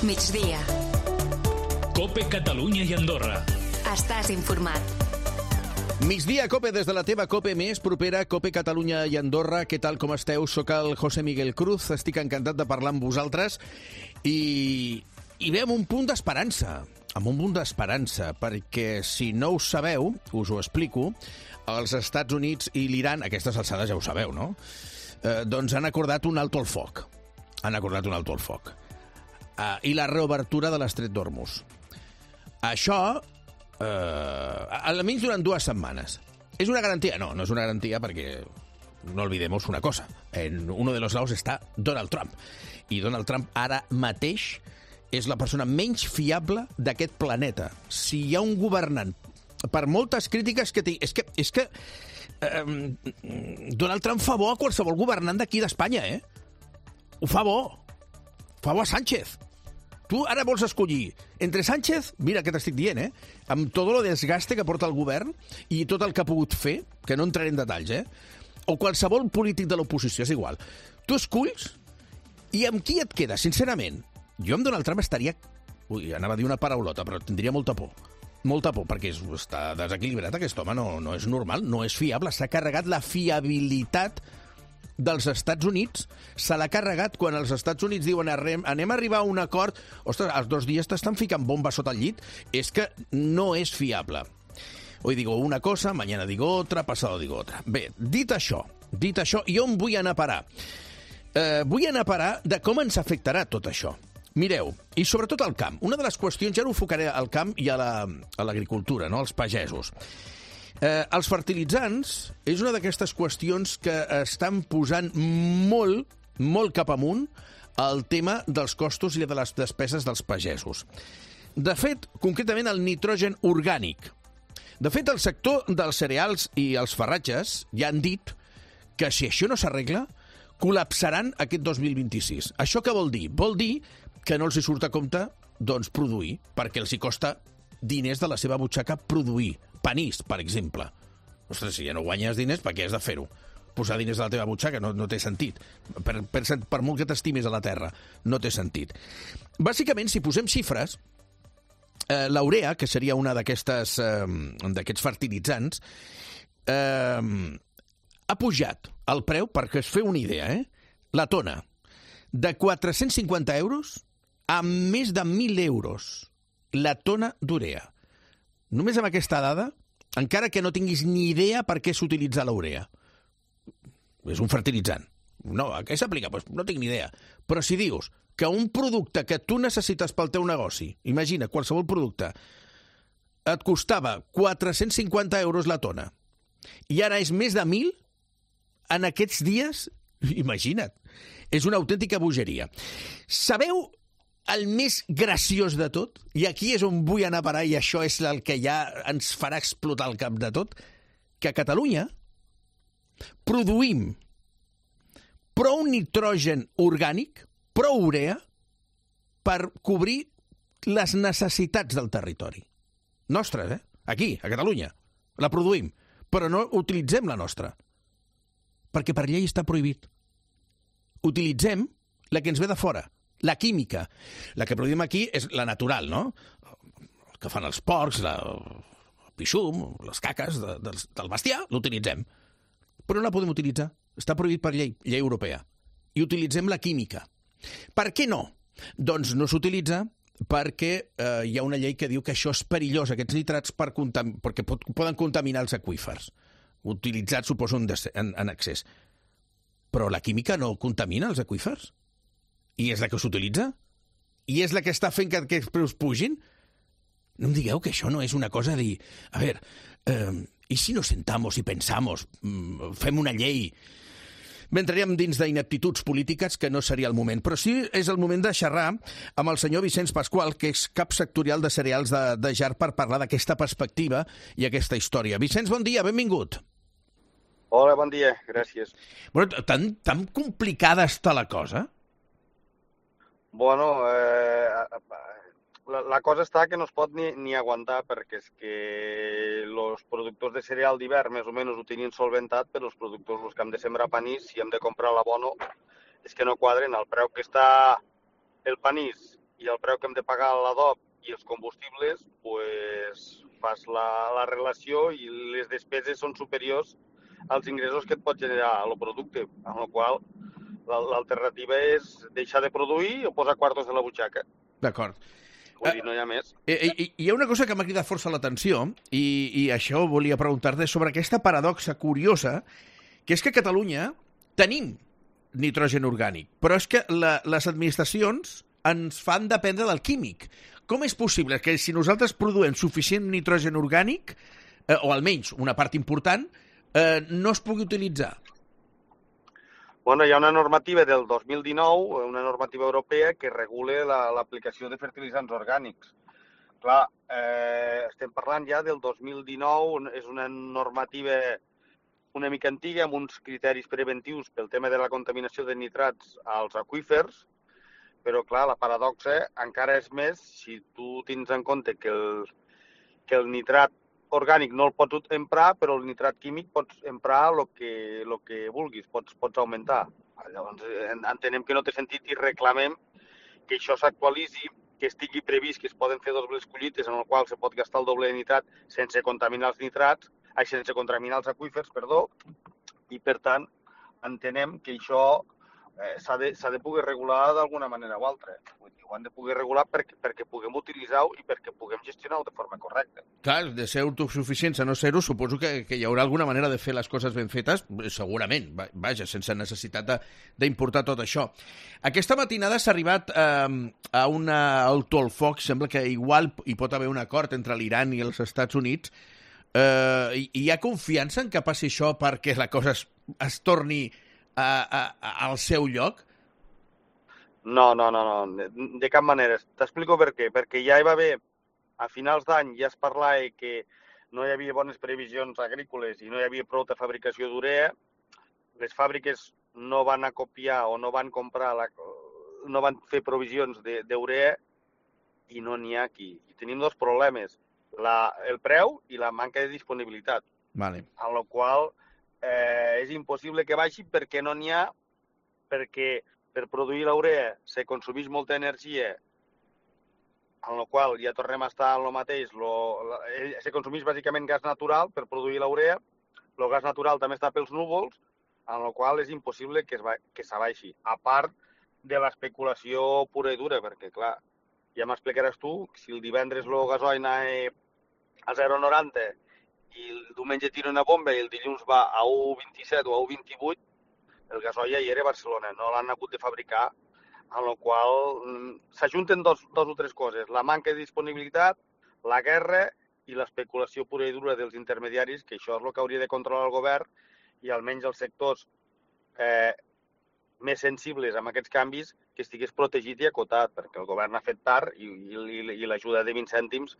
Migdia. COPE Catalunya i Andorra. Estàs informat. Migdia COPE des de la teva COPE més propera, COPE Catalunya i Andorra. Què tal, com esteu? Soc el José Miguel Cruz, estic encantat de parlar amb vosaltres i ve amb un punt d'esperança, perquè si no ho sabeu, us ho explico, els Estats Units i l'Iran, a aquestes alçades ja ho sabeu, no? Doncs han acordat un alto al foc. I la reobertura de l'estret d'Hormuz. Això, almenys durant 2 setmanes. ¿Es una garantía? No, no es una garantía perquè no olvidemos una cosa. En uno de los lados está Donald Trump. I Donald Trump ara mateix és la persona menys fiable d'aquest planeta. Si hi ha un governant, per moltes crítiques que té... És que Donald Trump fa bo a qualsevol governant d'aquí d'Espanya, eh? Ho fa bo. Fa bo a Sánchez. Tu ara vols escollir entre Sánchez, mira què t'estic dient, amb tot el desgaste que porta el govern i tot el que ha pogut fer, que no entraré en detalls, o qualsevol polític de l'oposició, és igual. Tu esculls i amb qui et quedes, sincerament? Jo amb Donald Trump estaria... anava a dir una paraulota, però tindria molta por. Molta por, perquè està desequilibrat aquest home, no és normal, no és fiable. S'ha carregat la fiabilitat dels Estats Units, se l'ha carregat quan els Estats Units diuen anem a arribar a un acord. Ostres, els 2 dies t'estan ficant bomba sota el llit. És que no és fiable. Hoy digo una cosa, mañana digo otra, pasado digo otra. Bé, dit això, i on vull anar a parar? Vull anar a parar de com ens afectarà tot això. Mireu, i sobretot al camp. Una de les qüestions, ja ho enfocaré al camp i a l'agricultura, no? Als pagesos. Els fertilitzants és una d'aquestes qüestions que estan posant molt cap amunt el tema dels costos i de les despeses dels pagesos. De fet, concretament el nitrogen orgànic. De fet, el sector dels cereals i els farratges ja han dit que si això no s'arregla, col·lapsaran aquest 2026. Això què vol dir? Vol dir que no els hi surt a compte doncs, produir, perquè els hi costa diners de la seva butxaca produir. Panís, per exemple. Ostres, si ja no guanyes diners, per què has de fer-ho? Posar diners de la teva butxaca no té sentit. Per molt que t'estimis a la terra, no té sentit. Bàsicament, si posem xifres, l'urea, que seria una d'aquests fertilitzants, ha pujat el preu, perquè es feu una idea, la tona, de 450 euros a més de 1.000 euros. La tona d'urea. Només amb aquesta dada, encara que no tinguis ni idea per què s'utilitza l'urea. És un fertilitzant. No, a què s'aplica? Pues no tinc ni idea. Però si dius que un producte que tu necessites pel teu negoci, imagina, qualsevol producte, et costava 450 euros la tona, i ara és més de 1.000, en aquests dies, imagina't, és una autèntica bogeria. Sabeu el més graciós de tot, i aquí és on vull anar a parar, i això és el que ja ens farà explotar el cap de tot, que a Catalunya produïm prou nitrogen orgànic, prou urea, per cobrir les necessitats del territori. Nostres, Aquí, a Catalunya. La produïm, però no utilitzem la nostra. Perquè per llei està prohibit. Utilitzem la que ens ve de fora. La química. La que produïm aquí és la natural, no? El que fan els porcs, el pixum, les caques del bestiar, l'utilitzem. Però no la podem utilitzar. Està prohibit per llei europea. I utilitzem la química. Per què no? Doncs no s'utilitza perquè hi ha una llei que diu que això és perillós, aquests nitrats, perquè poden contaminar els aqüífers. Utilitzats, suposo, en excés. Però la química no contamina els aqüífers? I és la que s'utilitza? I és la que està fent que aquests preus pugin? No em digueu que això no és una cosa de dir... A veure, ¿y si nos sentamos y pensamos, fem una llei? Bé, entraríem dins d'ineptituds polítiques, que no seria el moment. Però sí és el moment de xerrar amb el senyor Vicenç Pasqual, que és cap sectorial de cereals de Jar, per parlar d'aquesta perspectiva i aquesta història. Vicenç, bon dia, benvingut. Hola, bon dia, gràcies. Bueno, tan complicada està la cosa? Bueno, la cosa està que no es pot ni aguantar, perquè és que els productors de cereal d'hivern més o menys ho tenien solventat, però els productors que hem de sembrar panís, si hem de comprar l'abono, és que no quadren el preu que està el panís i el preu que hem de pagar a l'adob i els combustibles, pues, fas la relació i les despeses són superiors als ingressos que et pot generar el producte, amb la qual l'alternativa és deixar de produir o posar quartos de la butxaca. D'acord. Vull dir, no hi ha més. Hi ha una cosa que m'ha cridat força l'atenció i això volia preguntar-te sobre aquesta paradoxa curiosa, que és que a Catalunya tenim nitrogen orgànic, però és que les administracions ens fan dependre del químic. Com és possible que si nosaltres produïm suficient nitrogen orgànic, o almenys una part important, no es pugui utilitzar? Bueno, hi ha una normativa del 2019, una normativa europea, que regula l'aplicació de fertilitzants orgànics. Clar, estem parlant ja del 2019, és una normativa una mica antiga, amb uns criteris preventius pel tema de la contaminació de nitrats als aqüífers, però, clar, la paradoxa encara és més si tu tens en compte que el nitrat orgànic no el pots emprar, però el nitrat químic pots emprar el que vulguis, pots augmentar. Llavors, entenem que no té sentit i reclamem que això s'actualitzi, que estigui previst que es poden fer dobles collites en el qual se pot gastar el doble de nitrat sense contaminar els aqüífers, i per tant entenem que això s'ha de poder regular d'alguna manera o altra. Ho han de poder regular perquè puguem utilitzar-ho i perquè puguem gestionar-ho de forma correcta. Clar, de ser autosuficients a no ser-ho, suposo que hi haurà alguna manera de fer les coses ben fetes, segurament, vaja, sense necessitat d'importar tot això. Aquesta matinada s'ha arribat a una alto al foc, sembla que igual hi pot haver un acord entre l'Iran i els Estats Units. Hi ha confiança en que passi això perquè la cosa es torni al seu lloc? No, de cap manera. T'explico per què. Perquè ja hi va haver, a finals d'any ja es parlava que no hi havia bones previsions agrícoles i no hi havia prou de fabricació d'urea. Les fàbriques no van acopiar o no van comprar, no van fer provisions d'urea i no n'hi ha aquí. I tenim dos problemes, el preu i la manca de disponibilitat. Vale. En la qual és impossible que baixi perquè no n'hi ha, perquè per produir l'urea se consumeix molta energia, en la qual ja tornem a estar en el mateix. Se consumeix bàsicament gas natural per produir l'urea, el gas natural també està pels núvols, en la qual és impossible que s'abaixi, a part de l'especulació pura i dura, perquè, clar, ja m'explicaràs tu, si el divendres el gasoil anava a 0,90 i el diumenge tira una bomba i el dilluns va a 1,27 o a 1,28, el gasoil ja hi era a Barcelona, no l'han hagut de fabricar, en la qual s'ajunten dos o tres coses, la manca de disponibilitat, la guerra i l'especulació pura i dura dels intermediaris, que això és el que hauria de controlar el govern i almenys els sectors més sensibles amb aquests canvis que estigués protegit i acotat, perquè el govern ha fet tard i l'ajuda de 20 cèntims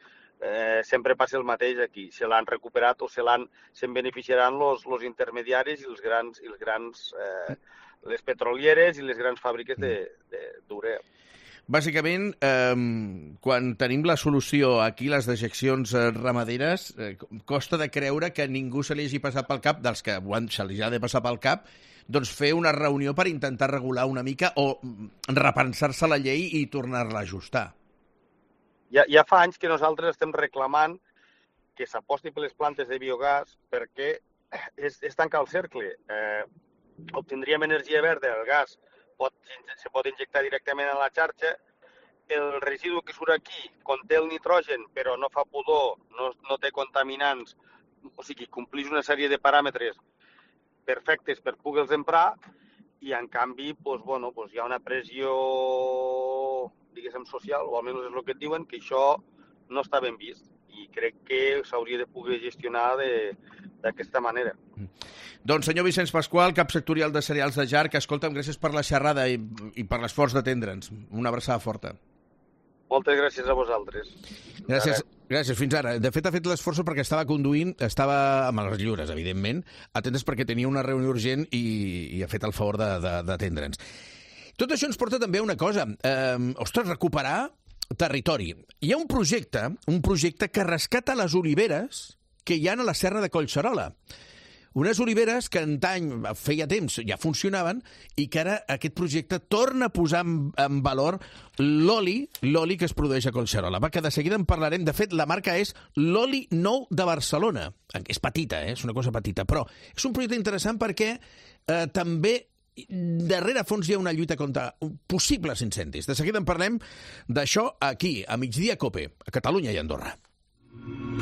sempre passa el mateix aquí. Se l'han recuperat o se'n beneficiaran els intermediaris i les petrolieres i les grans fàbriques d'urea. Bàsicament, quan tenim la solució aquí, les dejeccions ramaderes, costa de creure que ningú se li hagi passat pel cap, dels que se li ha de passar pel cap, doncs fer una reunió per intentar regular una mica o repensar-se la llei i tornar-la a ajustar. Ja fa anys que nosaltres estem reclamant que s'aposti per les plantes de biogàs perquè és tancar el cercle. Obtindríem energia verda, el gas se pot injectar directament a la xarxa, el residu que surt aquí conté el nitrogen però no fa pudor, no té contaminants, o sigui, complix una sèrie de paràmetres perfectes per poder-los emprar i en canvi hi ha una pressió, diguéssim, social, o almenys és el que et diuen, que això no està ben vist i crec que s'hauria de poder gestionar d'aquesta manera. Doncs, senyor Vicenç Pasqual, cap sectorial de cereals de Jarc, escolta'm, gràcies per la xerrada i per l'esforç d'atendre'ns. Una abraçada forta. Moltes gràcies a vosaltres. Gràcies, fins ara. De fet, ha fet l'esforç perquè estava conduint, estava amb les lliures, evidentment, atentes perquè tenia una reunió urgent i ha fet el favor d'atendre'ns. Tot això ens porta també a una cosa. Recuperar territori. Hi ha un projecte que rescata les oliveres que hi ha a la serra de Collserola. Unes oliveres que antany, feia temps, ja funcionaven i que ara aquest projecte torna a posar en valor l'oli que es produeix a Collserola. Va, que de seguida en parlarem. De fet, la marca és l'Oli Nou de Barcelona. És petita, és una cosa petita, però és un projecte interessant perquè també darrere fons hi ha una lluita contra possibles incendis. De seguida en parlem d'això aquí, a Migdia Cope, a Catalunya i Andorra.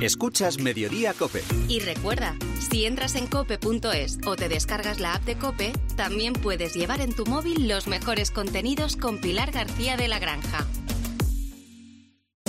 Escuchas Mediodía Cope. Y recuerda, si entras en cope.es o te descargas la app de Cope, también puedes llevar en tu móvil los mejores contenidos con Pilar García de la Granja.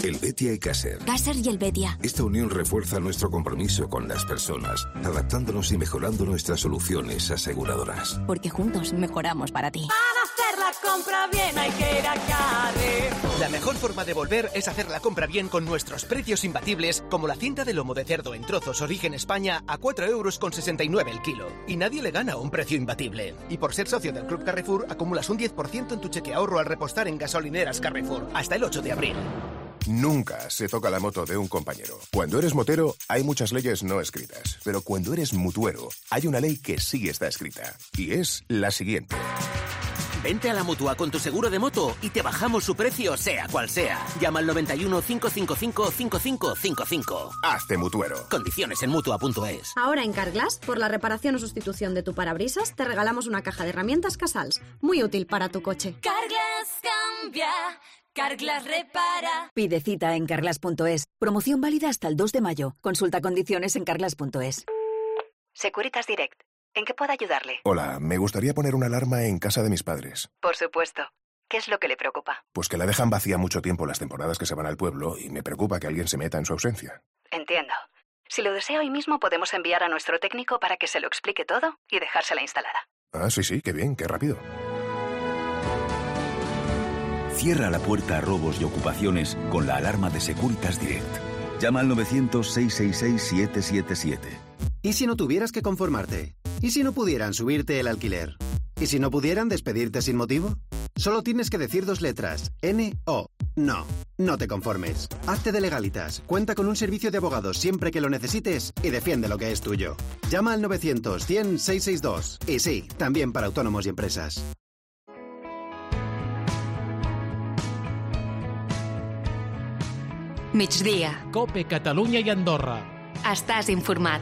Helvetia y Caser. Caser y Helvetia. Esta unión refuerza nuestro compromiso con las personas, adaptándonos y mejorando nuestras soluciones aseguradoras. Porque juntos mejoramos para ti. Para hacer la compra bien hay que ir a Carrefour. La mejor forma de volver es hacer la compra bien con nuestros precios imbatibles, como la cinta de lomo de cerdo en trozos Origen España a 4,69 € el kilo. Y nadie le gana un precio imbatible. Y por ser socio del Club Carrefour, acumulas un 10% en tu cheque ahorro al repostar en gasolineras Carrefour, hasta el 8 de abril. Nunca se toca la moto de un compañero. Cuando eres motero, hay muchas leyes no escritas. Pero cuando eres mutuero, hay una ley que sí está escrita. Y es la siguiente. Vente a la Mutua con tu seguro de moto y te bajamos su precio, sea cual sea. Llama al 91 555 5555. Hazte mutuero. Condiciones en Mutua.es. Ahora en Carglass, por la reparación o sustitución de tu parabrisas, te regalamos una caja de herramientas Casals. Muy útil para tu coche. Carglass cambia, Carglass repara. Pide cita en carglass.es. Promoción válida hasta el 2 de mayo. Consulta condiciones en carglass.es. Securitas Direct. ¿En qué puedo ayudarle? Hola, me gustaría poner una alarma en casa de mis padres. Por supuesto. ¿Qué es lo que le preocupa? Pues que la dejan vacía mucho tiempo las temporadas que se van al pueblo y me preocupa que alguien se meta en su ausencia. Entiendo. Si lo desea hoy mismo podemos enviar a nuestro técnico para que se lo explique todo y dejársela instalada. Ah, sí, qué bien, qué rápido. Cierra la puerta a robos y ocupaciones con la alarma de Securitas Direct. Llama al 900-666-777. ¿Y si no tuvieras que conformarte? ¿Y si no pudieran subirte el alquiler? ¿Y si no pudieran despedirte sin motivo? Solo tienes que decir 2 letras. N-O. No. No te conformes. Hazte de Legalitas. Cuenta con un servicio de abogados siempre que lo necesites y defiende lo que es tuyo. Llama al 900-100-662. Y sí, también para autónomos y empresas. Migdia. Cope Catalunya i Andorra. Estàs informat.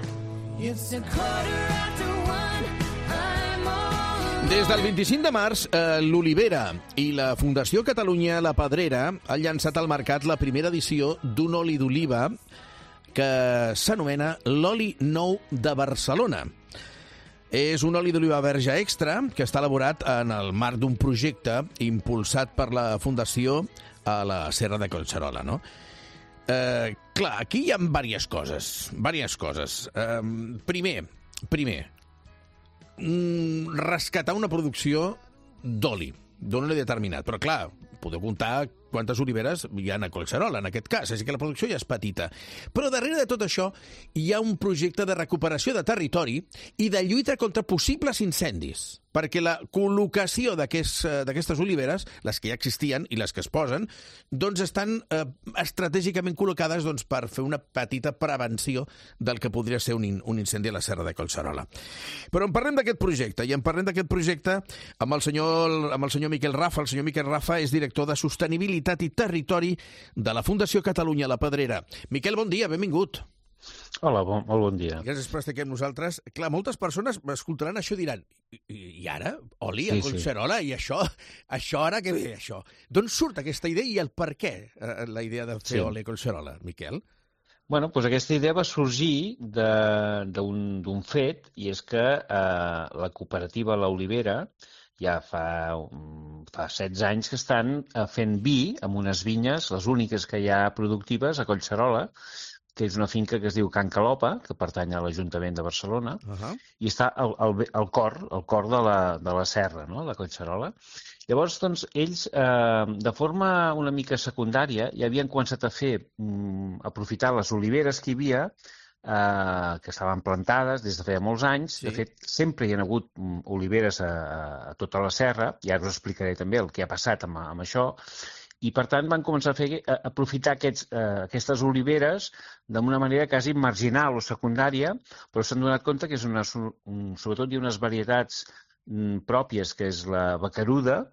Des del 25 de març, l'Olivera i la Fundació Catalunya La Pedrera han llançat al mercat la primera edició d'un oli d'oliva que s'anomena l'Oli Nou de Barcelona. És un oli d'oliva verge extra que està elaborat en el marc d'un projecte impulsat per la Fundació a la Serra de Collserola, no? Clar, aquí hi ha diverses coses. Primer, rescatar una producció d'oli, d'un oli determinat. Però, clar, podeu comptar quantes oliveres hi ha a Collserola, en aquest cas. Així que la producció ja és petita. Però darrere de tot això hi ha un projecte de recuperació de territori i de lluita contra possibles incendis. Perquè la col·locació d'aquestes oliveres, les que ja existien i les que es posen, doncs estan estratègicament col·locades per fer una petita prevenció del que podria ser un incendi a la Serra de Collserola. Però en parlem d'aquest projecte, i en parlem d'aquest projecte amb el senyor Miquel Rafa. El senyor Miquel Rafa és director de Sostenibilitat i Territori de la Fundació Catalunya La Pedrera. Miquel, bon dia, benvingut. Hola, molt bon dia. Gràcies per estar aquí amb nosaltres. Clar, moltes persones escoltaran això i diran i ara? Oli a Collserola? I això ara què ve, això? D'on surt aquesta idea i el per què, la idea de fer oli a Collserola, Miquel? Bueno, doncs aquesta idea va sorgir d'un fet, i és que la cooperativa l'Olivera ja fa 16 anys que estan fent vi amb unes vinyes, les úniques que hi ha productives a Collserola, que és una finca que es diu Can Calopa, que pertany a l'Ajuntament de Barcelona, i està al cor de la serra, no?, de Collserola. Llavors, doncs, ells, de forma una mica secundària, ja havien començat a aprofitar les oliveres que hi havia, que estaven plantades des de feia molts anys. De fet, sempre hi ha hagut oliveres a tota la serra, i ara us explicaré també el que ha passat amb això, I, per tant, van començar a aprofitar aquestes oliveres d'una manera quasi marginal o secundària, però s'han donat compte que sobretot hi ha unes varietats pròpies, que és la bacaruda,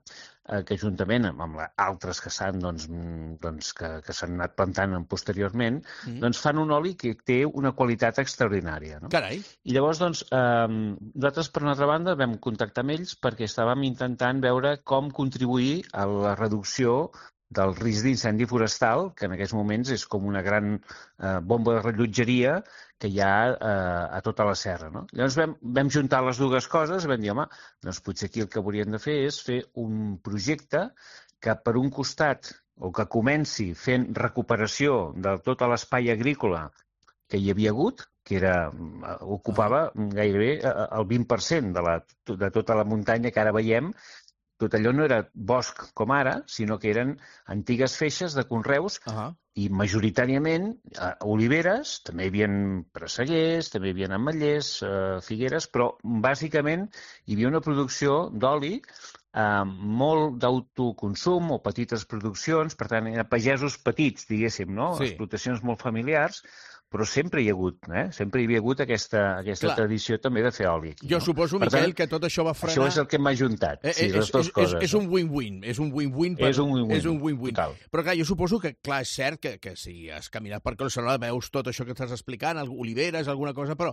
que juntament amb altres que s'han que s'han anat plantant posteriorment, doncs fan un oli que té una qualitat extraordinària. Carai! I llavors, nosaltres, per una altra banda, vam contactar amb ells perquè estàvem intentant veure com contribuir a la reducció del risc d'incendi forestal, que en aquests moments és com una gran bomba de rellotgeria que hi ha a tota la serra. Llavors vam juntar les dues coses i vam dir, home, doncs potser aquí el que hauríem de fer és fer un projecte que per un costat, o que comenci fent recuperació de tot l'espai agrícola que hi havia hagut, que ocupava gairebé el 20% de tota la muntanya que ara veiem. Tot allò no era bosc com ara, sinó que eren antigues feixes de conreus i majoritàriament oliveres, també hi havia presseguers, també hi havia ametllers, figueres, però bàsicament hi havia una producció d'oli molt d'autoconsum o petites produccions, per tant, pagesos petits, diguéssim, explotacions molt familiars, però sempre hi ha hagut, sempre hi havia hagut aquesta tradició també de fer oli. Jo suposo, Miquel, que tot això va frenar... Això és el que m'ha ajuntat, les dues coses. És un win-win, és un win-win. És un win-win, total. Però clar, jo suposo que, clar, és cert que si has caminat per Collserola veus tot això que estàs explicant, oliveres, alguna cosa, però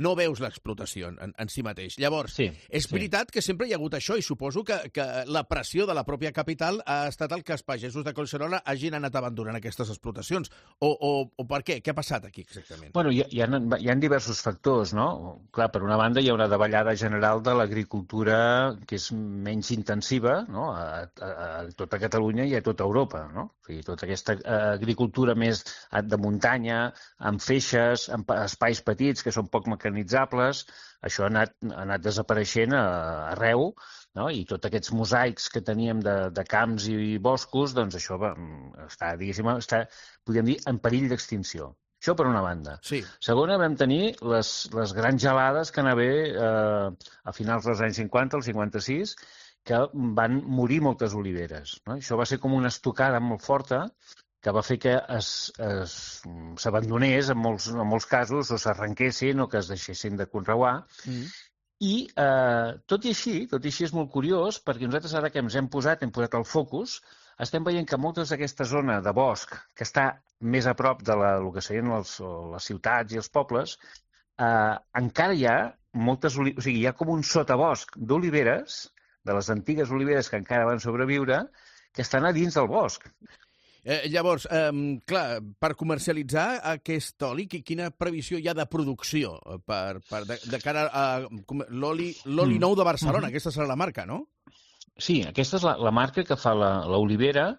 no veus l'explotació en si mateix. Llavors, és veritat que sempre hi ha hagut això i suposo que la pressió de la pròpia capital ha estat el que els pagesos de Collserola hagin anat abandonant aquestes explotacions. O per què? Què ha passat aquí? Exactament. Bueno, hi ha diversos factors, no? Clar, per una banda hi ha una davallada general de l'agricultura que és menys intensiva, no? A tota Catalunya i a tota Europa, no? O sigui, tota aquesta agricultura més de muntanya, amb feixes, amb espais petits que són poc mecanitzables, això ha anat desapareixent arreu, no? I tots aquests mosaics que teníem de camps i boscos, doncs això està, podríem dir, en perill d'extinció. Això per una banda. Segona, vam tenir les grans gelades que van haver a finals dels anys 50, el 56, que van morir moltes oliveres. Això va ser com una estocada molt forta que va fer que s'abandonés en molts casos, o s'arrenquessin o que es deixessin de conreuar. I tot i així és molt curiós, perquè nosaltres ara que ens hem posat el focus, estem veient que moltes d'aquesta zona de bosc, que està més a prop de el que serien les ciutats i els pobles, encara hi ha moltes oliveres, o sigui, hi ha com un sotabosc d'oliveres, de les antigues oliveres que encara van sobreviure, que estan a dins del bosc. Llavors, clar, per comercialitzar aquest oli, quina previsió hi ha de producció de cara a l'oli nou de Barcelona? Aquesta serà la marca, no? Sí, aquesta és la marca que fa l'olivera.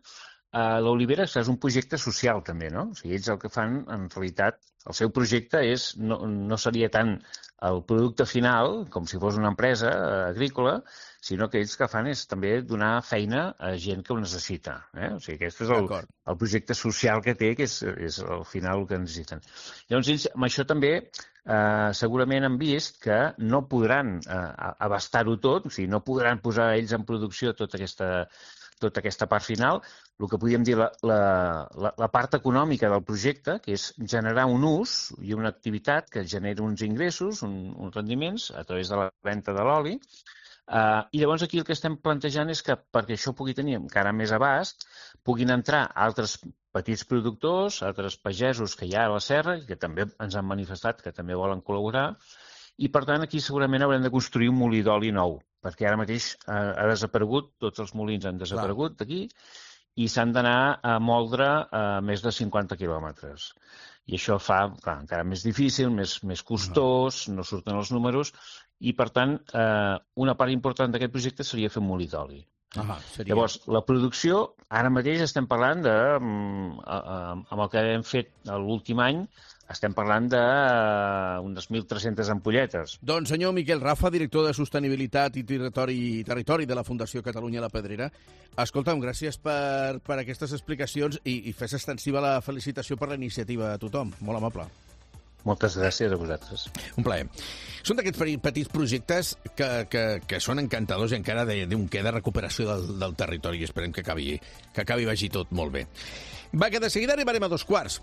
L'olivera és un projecte social, també, no? O sigui, ells el que fan, en realitat, el seu projecte no seria tant el producte final, com si fos una empresa agrícola, sinó que ells el que fan és també donar feina a gent que ho necessita. O sigui, aquest és el projecte social que té, que és al final el que necessiten. Llavors, ells amb això també segurament han vist que no podran abastar-ho tot, o sigui, no podran posar ells en producció tota aquesta part final. El que podríem dir la part econòmica del projecte, que és generar un ús i una activitat que generi uns ingressos, uns rendiments a través de la venda de l'oli. I llavors aquí el que estem plantejant és que perquè això pugui tenir encara més abast, puguin entrar altres petits productors, altres pagesos que hi ha a la serra, que també ens han manifestat que també volen col·laborar, i per tant aquí segurament haurem de construir un molí d'oli nou, perquè ara mateix ha desaparegut, tots els molins han desaparegut d'aquí, i s'han d'anar a moldre a més de 50 quilòmetres. I això fa encara més difícil, més costós, no surten els números, i per tant una part important d'aquest projecte seria fer un molí d'oli. Llavors, la producció, ara mateix estem parlant amb el que hem fet l'últim any, estem parlant d'unes 1.300 ampolletes. Doncs senyor Miquel Rafa, director de Sostenibilitat i Territori de la Fundació Catalunya La Pedrera, escolta'm, gràcies per aquestes explicacions i fes extensiva la felicitació per la iniciativa a tothom. Molt amable. Moltes gràcies a vosaltres. Un plaer. Són d'aquests petits projectes que són encantadors i encara d'un queda recuperació del territori. Esperem que acabi vagi tot molt bé. Va, que de seguida arribarem a 2:15.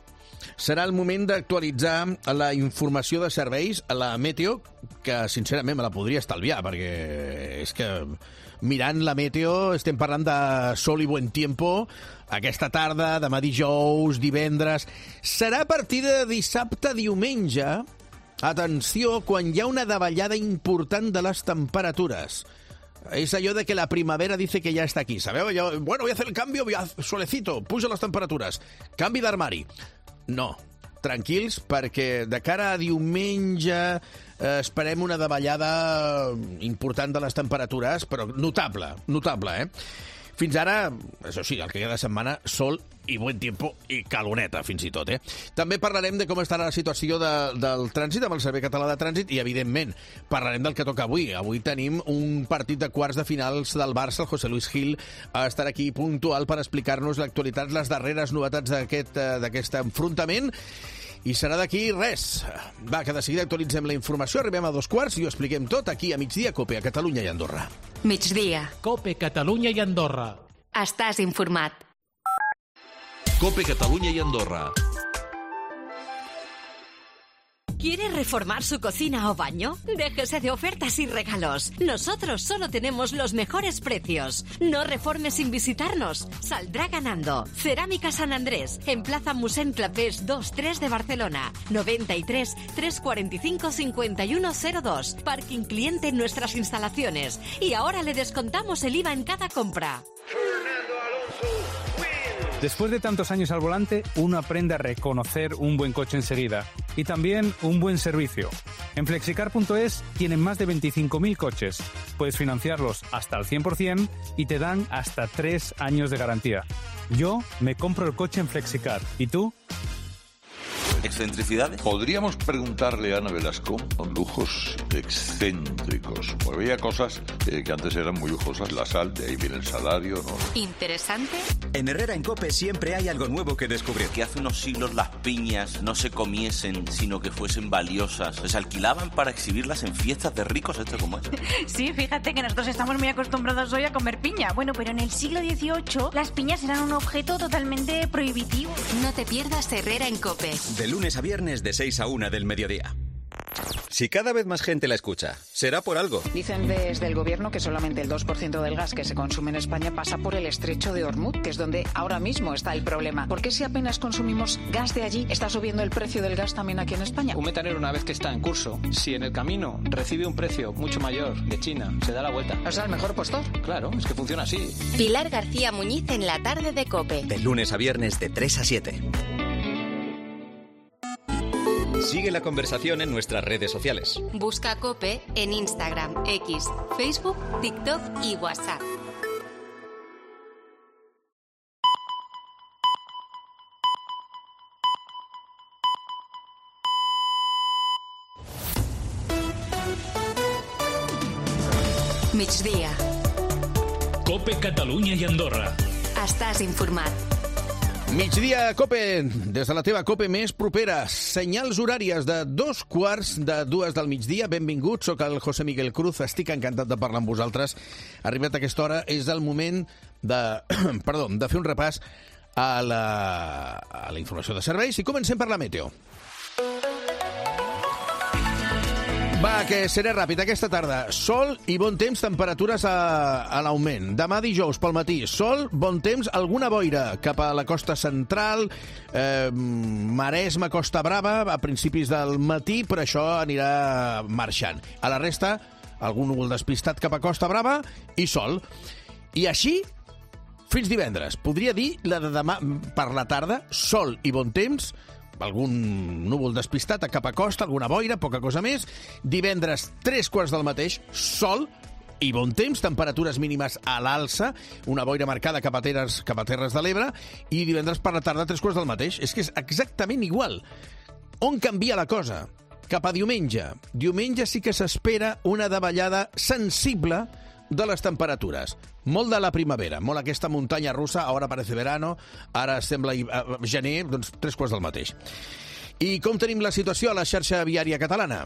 Serà el moment d'actualitzar la informació de serveis a la Meteo, que sincerament me la podria estalviar, perquè és que mirant la Meteo estem parlant de sol i buen tiempo aquesta tarda, demà dijous, divendres. Serà a partir de dissabte, diumenge, atenció, quan hi ha una davallada important de les temperatures. Es allò de que la primavera dice que ya está aquí, ¿sabeu? Bueno, voy a hacer el cambio, solecito, pujo les temperatures, canvi d'armari. No, tranquils, perquè de cara a diumenge esperem una davallada important de les temperatures, però notable, eh? Fins ara, això sí, el que queda de setmana, sol i buen tiempo i caloneta, fins i tot, eh? També parlarem de com estarà la situació del trànsit amb el Servei Català de Trànsit i, evidentment, parlarem del que toca avui. Avui tenim un partit de quarts de finals del Barça. El José Luis Gil estarà aquí puntual per explicar-nos l'actualitat, les darreres novetats d'aquest enfrontament. I serà d'aquí res. Va, que de seguida actualitzem la informació, arribem a 2:15 i ho expliquem tot aquí a Migdia Cope, a Catalunya i Andorra. Migdia. Cope, Catalunya i Andorra. Estàs informat. Cope, Catalunya i Andorra. ¿Quiere reformar su cocina o baño? Déjese de ofertas y regalos. Nosotros solo tenemos los mejores precios. No reforme sin visitarnos. Saldrá ganando. Cerámica San Andrés, en Plaza Musén Clapés 2-3 de Barcelona. 93 345 5102. Parking cliente en nuestras instalaciones. Y ahora le descontamos el IVA en cada compra. Después de tantos años al volante, uno aprende a reconocer un buen coche enseguida y también un buen servicio. En Flexicar.es tienen más de 25.000 coches. Puedes financiarlos hasta al 100% y te dan hasta 3 años de garantía. Yo me compro el coche en Flexicar. ¿Y tú? ¿Excentricidades? Podríamos preguntarle a Ana Velasco con lujos excéntricos. Porque había cosas que antes eran muy lujosas. La sal, de ahí viene el salario, ¿no? ¿Interesante? En Herrera en COPE siempre hay algo nuevo que descubrir. Que hace unos siglos las piñas no se comiesen, sino que fuesen valiosas. Se alquilaban para exhibirlas en fiestas de ricos, ¿esto cómo es? Sí, fíjate que nosotros estamos muy acostumbrados hoy a comer piña. Bueno, pero en el siglo XVIII las piñas eran un objeto totalmente prohibitivo. No te pierdas Herrera en COPE. De lunes a viernes de 6 a 1 del mediodía. Si cada vez más gente la escucha, será por algo. Dicen desde el gobierno que solamente el 2% del gas que se consume en España pasa por el estrecho de Hormuz, que es donde ahora mismo está el problema. ¿Por qué si apenas consumimos gas de allí, está subiendo el precio del gas también aquí en España? Un metanero, una vez que está en curso, si en el camino recibe un precio mucho mayor de China, se da la vuelta. O sea, el mejor postor. Claro, es que funciona así. Pilar García Muñiz en la tarde de COPE. De lunes a viernes de 3 a 7. Sigue la conversación en nuestras redes sociales. Busca COPE en Instagram, X, Facebook, TikTok y WhatsApp. Migdia. COPE, Catalunya i Andorra. Estàs informat. Migdia Cope, des de la teva Cope més propera. Senyals horàries de 2:15 del migdia. Benvinguts, soc el José Miguel Cruz, estic encantat de parlar amb vosaltres. Arribat a aquesta hora és el moment de fer un repàs a la informació de serveis i comencem per la meteo. Va, que seré ràpid. Aquesta tarda, sol i bon temps, temperatures a l'augment. Demà dijous pel matí, sol, bon temps, alguna boira cap a la costa central, Maresme, Costa Brava, a principis del matí, però això anirà marxant. A la resta, algun núvol despistat cap a Costa Brava i sol. I així, fins divendres. Podria dir la de demà per la tarda, sol i bon temps, algun núvol despistat cap a costa, alguna boira, poca cosa més. Divendres, 3:15 del mateix, sol i bon temps, temperatures mínimes a l'alça, una boira marcada cap a Terres de l'Ebre, i divendres per la tarda, 3:15 del mateix. És que és exactament igual. On canvia la cosa? Cap a diumenge. Diumenge sí que s'espera una davallada sensible de les temperatures. Molt de la primavera, molt aquesta muntanya russa, ara parece verano, ara sembla gener, doncs 3:15 del mateix. I com tenim la situació a la xarxa viària catalana?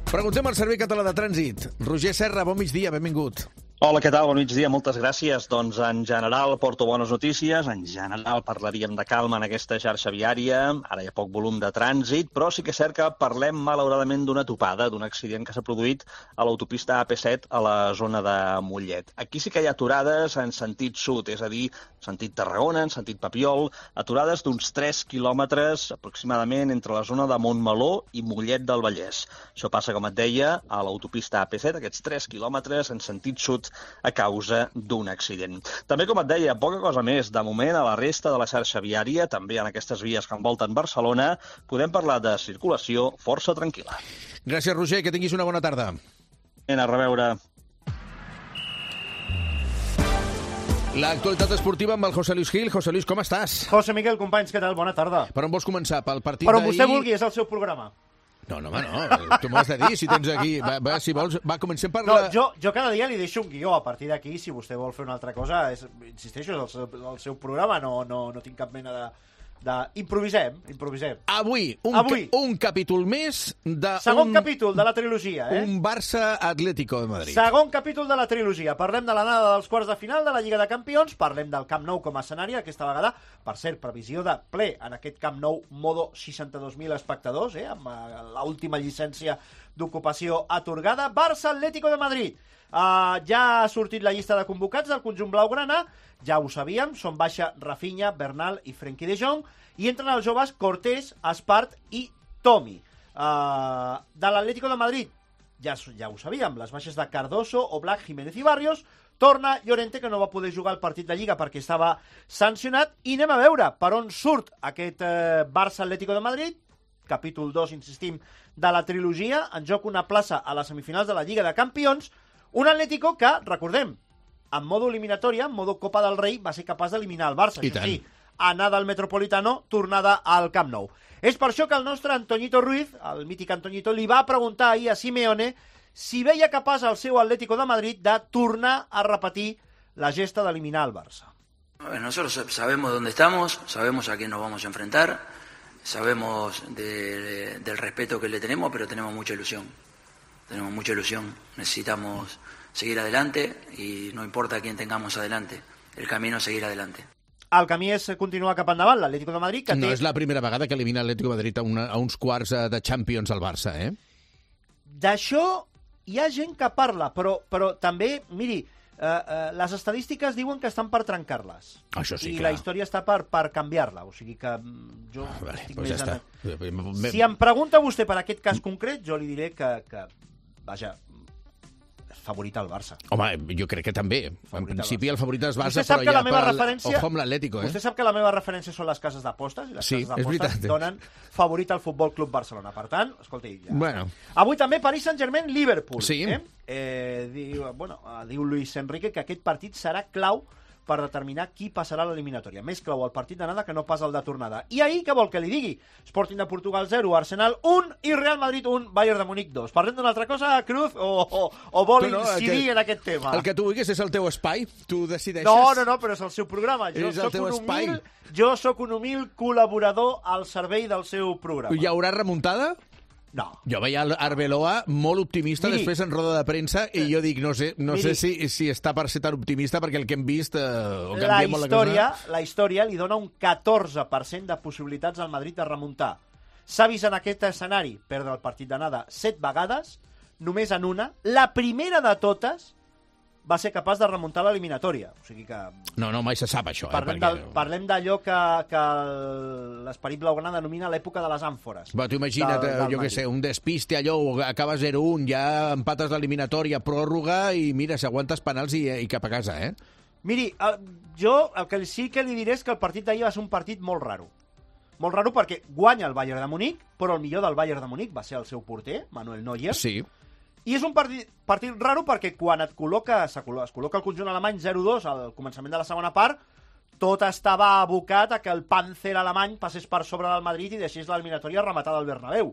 Preguntem al Servei Català de Trànsit. Roger Serra, bon migdia, benvingut. Hola, què tal? Bon migdia, moltes gràcies. Doncs en general porto bones notícies, en general parlaríem de calma en aquesta xarxa viària, ara hi ha poc volum de trànsit, però sí que és cert que parlem malauradament d'una topada, d'un accident que s'ha produït a l'autopista AP7 a la zona de Mollet. Aquí sí que hi ha aturades en sentit sud, és a dir, sentit Tarragona, en sentit Papiol, aturades d'uns 3 quilòmetres aproximadament entre la zona de Montmeló i Mollet del Vallès. Això passa, com et deia, a l'autopista AP7, aquests 3 quilòmetres en sentit sud a causa d'un accident. També, com et deia, poca cosa més. De moment, a la resta de la xarxa viària, també en aquestes vies que envolten Barcelona, podem parlar de circulació força tranquil·la. Gràcies, Roger, que tinguis una bona tarda. A reveure. L'actualitat esportiva amb el José Luis Gil. José Luis, com estàs? José Miguel, companys, què tal? Bona tarda. Per on vols començar? Pel partit d'ahir? Per on vostè vulgui, és el seu programa. No, home, no. Tu m'ho has de dir, si tens aquí... Va, si vols, comencem per la... No, jo cada dia li deixo un guió. A partir d'aquí, si vostè vol fer una altra cosa, insisteixo, és el seu programa, no tinc cap mena de... Improvisem. Avui, un capítol més de... Segon capítol de la trilogia, Un Barça-Atlético de Madrid. Segon capítol de la trilogia. Parlem de l'anada dels quarts de final de la Lliga de Campions, parlem del Camp Nou com a escenari aquesta vegada. Per cert, previsió de ple en aquest Camp Nou, modo 62.000 espectadors, amb l'última llicència d'ocupació atorgada. Barça-Atlético de Madrid. Ja ha sortit la llista de convocats del conjunt blaugrana, ja ho sabíem, són baixa Rafinha, Bernal i Frenkie de Jong, i entren els joves Cortés, Espart i Tomi. De l'Atlético de Madrid, ja ho sabíem, les baixes de Cardoso, Oblak, Jiménez i Barrios, torna Llorente, que no va poder jugar el partit de Lliga perquè estava sancionat, i anem a veure per on surt aquest Barça-Atlético de Madrid, capítol 2, insistim, de la trilogia, en joc una plaça a les semifinals de la Lliga de Campions, un Atlético que, recordem, en modo eliminatòria, en modo Copa del Rei, va ser capaç d'eliminar el Barça. I tant. Sí, anada al Metropolitano, tornada al Camp Nou. És per això que el nostre Antoñito Ruiz, el mític Antoñito, li va preguntar ahir a Simeone si veia capaç el seu Atlético de Madrid de tornar a repetir la gesta d'eliminar el Barça. Nosotros sabemos dónde estamos, sabemos a quién nos vamos a enfrentar, sabemos del respeto que le tenemos, pero tenemos mucha ilusión. Tenemos mucha ilusión, necesitamos seguir adelante y no importa a quién tengamos adelante, el camino es seguir adelante. El camí és continuar cap endavant, l'Atlético de Madrid, que no és la primera vegada que elimina l'Atlético de Madrid a uns quarts de Champions al Barça, D'això hi ha gent que parla, però també, miri, les estadístiques diuen que estan per trencar-les. Això sí, I clar. la història està per canviar-la, o sigui que jo estic pues més... ja està. Si em pregunta vostè per aquest cas concret, jo li diré que vaja, és favorit al Barça. Home, jo crec que també. En principi el favorit és Barça, però ja ojo amb l'Atlético. Vostè sap que la meva referència són les cases d'apostes, i les cases d'apostes donen favorit al Futbol Club Barcelona. Per tant, escolti, ja... Bueno. Avui també Paris Saint-Germain-Liverpool. Sí. Diu Luis Enrique que aquest partit serà clau per determinar qui passarà a l'eliminatòria. Més clau el partit d'anada que no pas el de tornada. I ahir, què vol que li digui? Sporting de Portugal 0, Arsenal 1 i Real Madrid 1, Bayern de Múnich 2. Parlem d'una altra cosa, Cruz, o vol incidir en aquest tema? El que tu vulguis és el teu espai, tu decideixes. No, però és el seu programa. Jo soc un humil col·laborador al servei del seu programa. Hi haurà remuntada? No. Jo veia l'Arbeloa molt optimista després en roda de premsa i jo dic, no sé si està per ser tan optimista perquè el que hem vist la història li dona un 14% de possibilitats al Madrid de remuntar. S'ha vist en aquest escenari perdre el partit d'anada 7 vegades, només en una, la primera de totes va ser capaç de remuntar l'eliminatòria. O sigui que... No, mai se sap això. Parlem d'allò que l'esperit blaugrana denomina l'època de les àmfores. Tu imagina't, jo què sé, un despiste, allò, acaba 0-1, ja empates l'eliminatòria, pròrroga, i mira, s'aguantes penals i cap a casa, Miri, jo el que sí que li diré és que el partit d'ahir va ser un partit molt raro. Molt raro perquè guanya el Bayern de Múnich, però el millor del Bayern de Múnich va ser el seu porter, Manuel Neuer. Sí. I és un partit raro perquè quan es col·loca el conjunt alemany 0-2 al començament de la segona part, tot estava abocat a que el Panzer alemany passés per sobre del Madrid i deixés l'eliminatòria rematada al Bernabéu.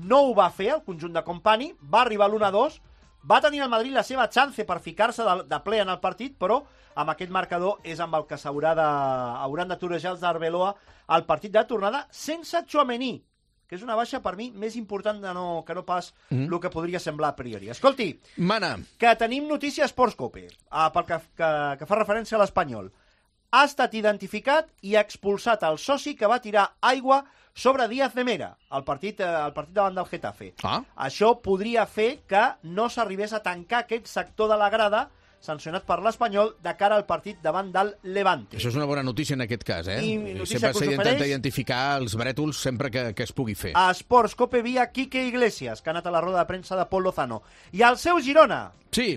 No ho va fer el conjunt de Company, va arribar l'1-2, Va tenir el Madrid la seva chance per ficar-se de ple en el partit, però amb aquest marcador és amb el que hauran de torejar els d'Arbeloa al partit de tornada sense Tchouaméni, que és una baixa per mi més important que no pas el que podria semblar a priori. Escolti, Mana, que tenim notícia a Sports Cope, pel que fa referència a l'Espanyol. Ha estat identificat i expulsat el soci que va tirar aigua sobre Díaz de Mera, al partit davant del Getafe. Això podria fer que no s'arribés a tancar aquest sector de la grada sancionat per l'Espanyol de cara al partit davant del Levante. Això és una bona notícia en aquest cas, I notícia sempre que us s'intenta ofereix identificar els brètols sempre que es pugui fer. A Sports Cope via Quique Iglesias, que ha anat a la roda de premsa de Pol Lozano. I al seu Girona. Sí.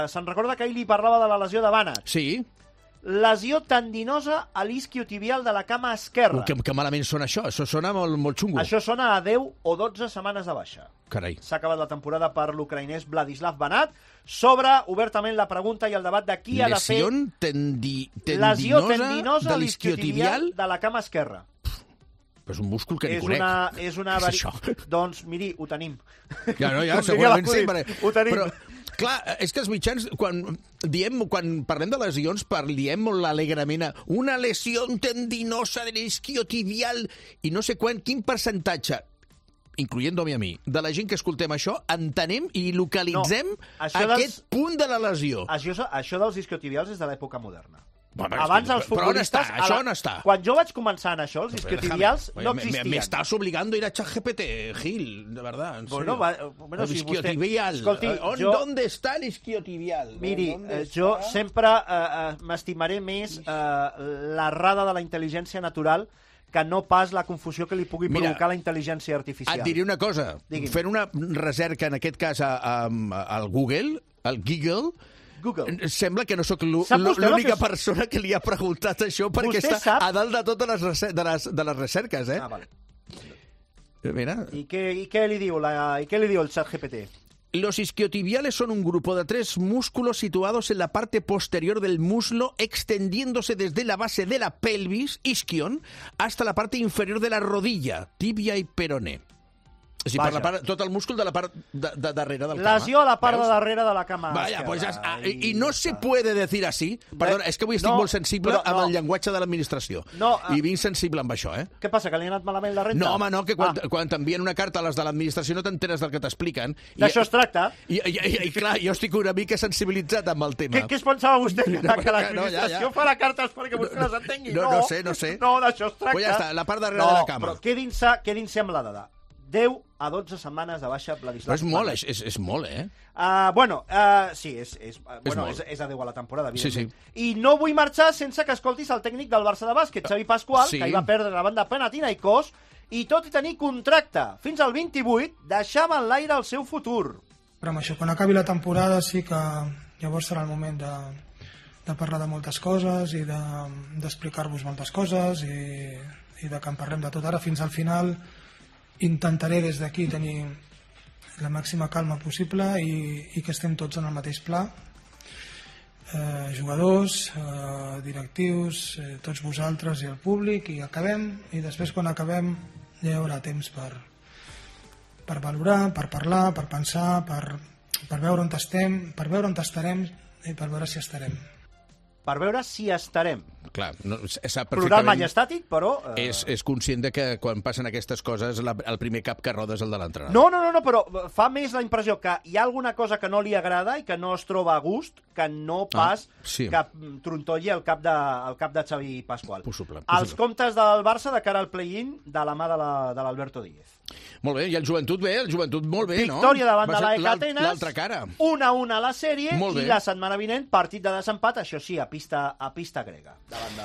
Se'n recorda que ahir li parlava de la lesió de Bànat. Sí. Lesió tendinosa a l'isquiotibial de la cama esquerra. Que malament sona això. Això sona molt xungo. Això sona a 10 o 12 setmanes de baixa. Carai. S'ha acabat la temporada per l'ucraïnès Vladislav Banat. S'obre obertament la pregunta i el debat de qui ha de fer... Lesió tendinosa de a l'isquiotibial de la cama esquerra. És un múscul que ni conec. És una Què és això? Doncs, miri, ho tenim. Ja, segurament sí. Ho tenim. Però, clar, és que els mitjans, quan parlem de lesions, diem molt alegrement una lesió tendinosa de l'isquiotibial i no sé quin percentatge, incloent-me a mi, de la gent que escoltem això, entenem i localitzem aquest punt de la lesió. Això dels isquiotibials és de l'època moderna. Abans els futbolistes... Però on està? Això on està? Quan jo vaig començar en això, els isquiotibials no existien. Me estás obligando a ir a ChatGPT, Gil, de verdad. Bueno, el isquiotibial. ¿Dónde está el isquiotibial? Miri, jo sempre m'estimaré més l'errada de la intel·ligència natural que no pas la confusió que li pugui provocar la intel·ligència artificial. Et diré una cosa. Fent una recerca, en aquest cas, al Google, sembla que no sóc l'única persona que li ha preguntat això perquè està a dalt de totes les recerques, eh? Vale. Mira. ¿Y qué le dio el ChatGPT? Los isquiotibiales son un grupo de 3 músculos situados en la parte posterior del muslo, extendiéndose desde la base de la pelvis, isquion, hasta la parte inferior de la rodilla, tibia y peroné. O sigui, per tot el múscul de la part de darrere del cama. Lesió a la part de darrere de la cama. Vaya, pues y no se puede decir así. Perdona, és que avui estic molt sensible amb el llenguatge de l'administració. I vinc sensible amb això, eh? Què passa, que li ha anat malament la renta? No, home, no, que quan t'envien una carta a les de l'administració no t'enteres del que t'expliquen. D'això es tracta. I clar, jo estic una mica sensibilitzat amb el tema. Què es pensava vostè? Que l'administració farà cartes perquè vostè les entengui? No sé. No, d'això es tracta. Pues ja està, la part darrere de la cama. Però quedin-se amb la dada. 10 a 12 setmanes de baixa Vladislav. Però és molt, eh? Sí, és a 10 a la temporada, evidentment. Sí. I no vull marxar sense que escoltis el tècnic del Barça de bàsquet, Xavi Pascual, que hi va perdre davant de Panathinaikos, i tot i tenir contracte fins al 28, deixava en l'aire el seu futur. Però amb això, quan acabi la temporada sí que llavors serà el moment de parlar de moltes coses i d'explicar-vos moltes coses i de que en parlem de tot. Ara fins al final intentaré des d'aquí tenir la màxima calma possible i que estem tots en el mateix pla, jugadors, directius, tots vosaltres i el públic, i acabem, i després quan acabem ja hi haurà temps per valorar, per parlar, per pensar, per veure on estem, per veure on estarem i per veure si estarem. Per veure si estarem. Clar, sap Plural perfectament... majestàtic, però... És conscient de que quan passen aquestes coses el primer cap que roda és el de l'entrenador. No, però fa més la impressió que hi ha alguna cosa que no li agrada i que no es troba a gust que no pas que trontolli el cap de Xavi Pascual. Possible. Els comptes del Barça de cara al play-in de la mà de l'Alberto Díez. Molt bé, i el Joventut molt bé, no? Victòria davant de l'AEK Atenes, l'altra cara. 1-1 a la sèrie, i la setmana vinent partit de desempat, això sí, a pista grega, davant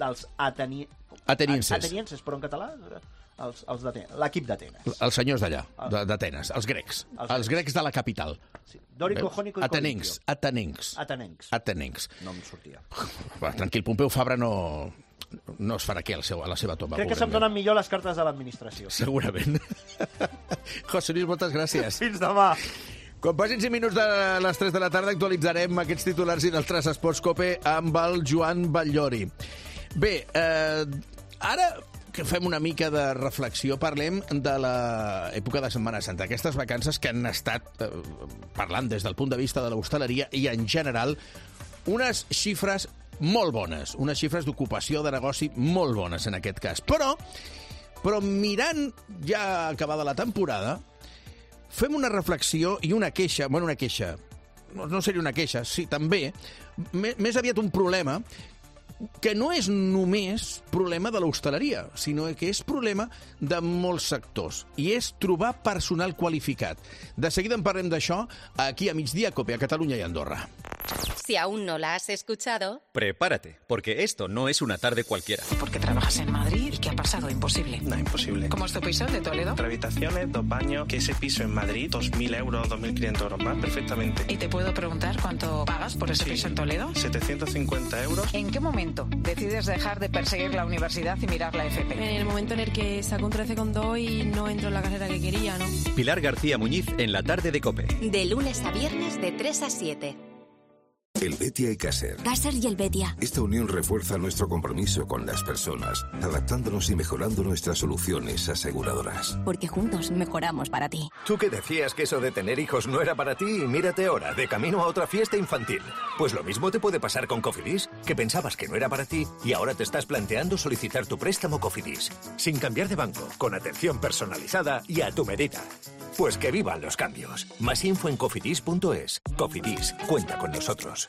dels atenienses, però en català, l'equip d'Atenes. Els senyors d'allà, d'Atenes, els grecs. Els grecs de la capital. Dòrico, Jónico i Atenencs. Atenencs. No em sortia. Tranquil, Pompeu Fabra no es farà aquí a la seva tomba. Crec que se'm donen millor les cartes de l'administració. Segurament. José Luis, moltes gràcies. Fins demà. Quan passin 5 minuts de les 3 de la tarda actualitzarem aquests titulars i d'altres Esports Cope amb el Joan Batllori. Bé, ara que fem una mica de reflexió, parlem de l'època de Setmana Santa. Aquestes vacances que han estat, parlant des del punt de vista de l'hostaleria i en general, unes xifres molt bones, unes xifres d'ocupació de negoci molt bones en aquest cas. Però mirant ja acabada la temporada, fem una reflexió i una queixa, no seria una queixa, sí, també, més aviat un problema, que no és només problema de l'hostaleria, sinó que és problema de molts sectors, i és trobar personal qualificat. De seguida en parlem d'això aquí a Migdia Cope, a Catalunya i Andorra. Si aún no la has escuchado... Prepárate, porque esto no es una tarde cualquiera. Porque trabajas en Madrid y ¿qué ha pasado? Imposible. No, imposible. ¿Cómo es tu piso de Toledo? 3 habitaciones, 2 baños, que ese piso en Madrid, 2.000 euros, 2.500 euros más, perfectamente. ¿Y te puedo preguntar cuánto pagas por ese piso en Toledo? 750 euros. ¿En qué momento decides dejar de perseguir la universidad y mirar la FP? En el momento en el que saco un 13,2 y no entro en la carrera que quería, ¿no? Pilar García Muñiz en la tarde de COPE. De lunes a viernes de 3 a 7. Helvetia y Caser. Caser y Helvetia. Esta unión refuerza nuestro compromiso con las personas, adaptándonos y mejorando nuestras soluciones aseguradoras. Porque juntos mejoramos para ti. Tú que decías que eso de tener hijos no era para ti y mírate ahora, de camino a otra fiesta infantil. Pues lo mismo te puede pasar con Cofidis, que pensabas que no era para ti y ahora te estás planteando solicitar tu préstamo Cofidis. Sin cambiar de banco, con atención personalizada y a tu medida. Pues que vivan los cambios. Más info en cofidis.es. Cofidis, cuenta con nosotros.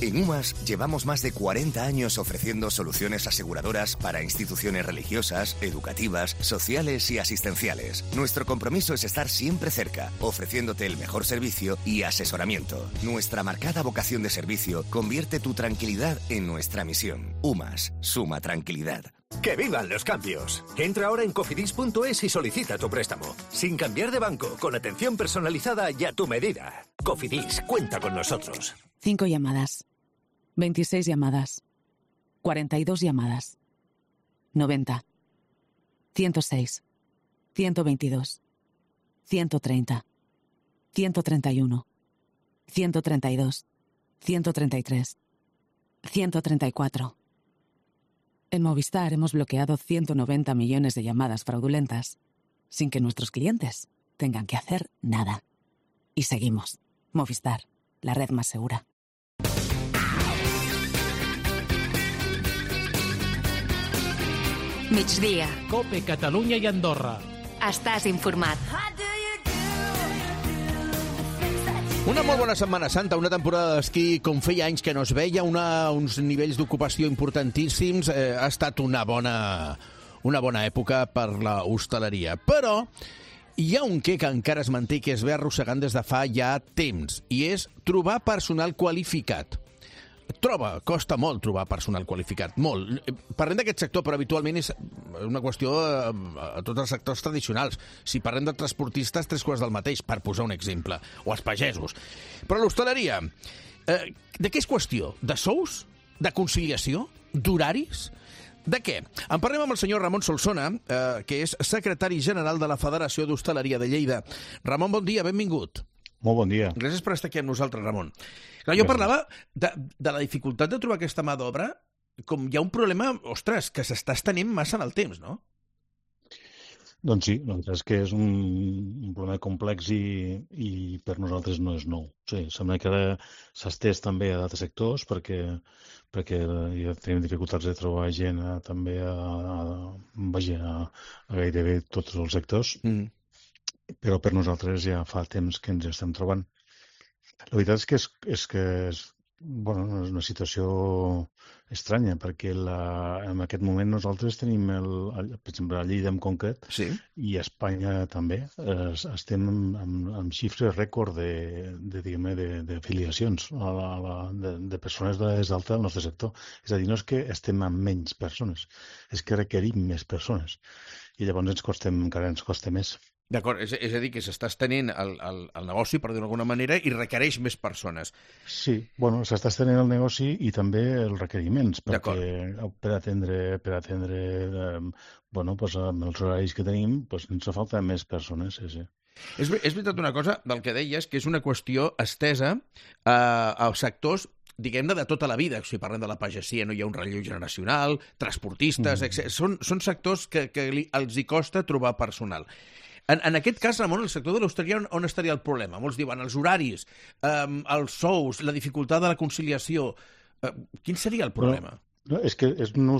En UMAS llevamos más de 40 años ofreciendo soluciones aseguradoras para instituciones religiosas, educativas, sociales y asistenciales. Nuestro compromiso es estar siempre cerca, ofreciéndote el mejor servicio y asesoramiento. Nuestra marcada vocación de servicio convierte tu tranquilidad en nuestra misión. UMAS, suma tranquilidad. ¡Que vivan los cambios! Entra ahora en cofidis.es y solicita tu préstamo. Sin cambiar de banco, con atención personalizada y a tu medida. Cofidis, cuenta con nosotros. 5 llamadas. 26 llamadas. 42 llamadas. 90. 106. 122. 130. 131. 132. 133. 134. En Movistar hemos bloqueado 190 millones de llamadas fraudulentas sin que nuestros clientes tengan que hacer nada. Y seguimos. Movistar, la red más segura. Migdia. Cope, Catalunya i Andorra. Estàs informat. Una molt bona Setmana Santa, una temporada d'esquí com feia anys que no es veia, uns nivells d'ocupació importantíssims, ha estat una bona època per la hostaleria. Però hi ha un què que encara es manté i que es ve arrossegant des de fa ja temps, i és trobar personal qualificat. Costa molt trobar personal qualificat, molt. Parlem d'aquest sector, però habitualment és una qüestió a tots els sectors tradicionals. Si parlem de transportistes, 3/4 del mateix, per posar un exemple, o els pagesos. Però l'hostaleria, de què és qüestió? De sous? De conciliació? D'horaris? De què? En parlem amb el senyor Ramon Solsona, que és secretari general de la Federació d'Hostaleria de Lleida. Ramon, bon dia, benvingut. Molt bon dia. Gràcies per estar aquí amb nosaltres, Ramon. Clar, jo parlava de la dificultat de trobar aquesta mà d'obra, com hi ha un problema, ostres, que s'està estenent massa en el temps, no? Doncs sí, la veritat és que és un problema complex i per nosaltres no és nou. Sí, sembla que ara s'ha estès també a d'altres sectors perquè ja tenim dificultats de trobar gent també a gairebé tots els sectors. Però per nosaltres ja fa temps que ens estem trobant. La veritat és que és una situació estranya, perquè en aquest moment nosaltres tenim, per exemple, a Lleida en concret, i a Espanya també, estem amb xifres rècord d'afiliacions de persones d'edat alta al nostre sector. És a dir, no és que estem amb menys persones, és que requerim més persones. I llavors encara ens costa més. D'acord, és a dir, que s'està estenent el negoci, per dir-ho d'alguna manera, i requereix més persones. Sí, s'està estenent el negoci i també els requeriments, perquè per atendre amb els horaris que tenim, ens fa falta més persones, sí. És veritat una cosa del que deies, que és una qüestió estesa als sectors diguem-ne, de tota la vida. Si parlem de la pagesia, no hi ha un relleu generacional, transportistes, etc. Són sectors que els hi costa trobar personal. En aquest cas, Ramon, el sector de l'hostaleria, on estaria el problema? Molts diuen els horaris, els sous, la dificultat de la conciliació. Quin seria el problema? No, és que no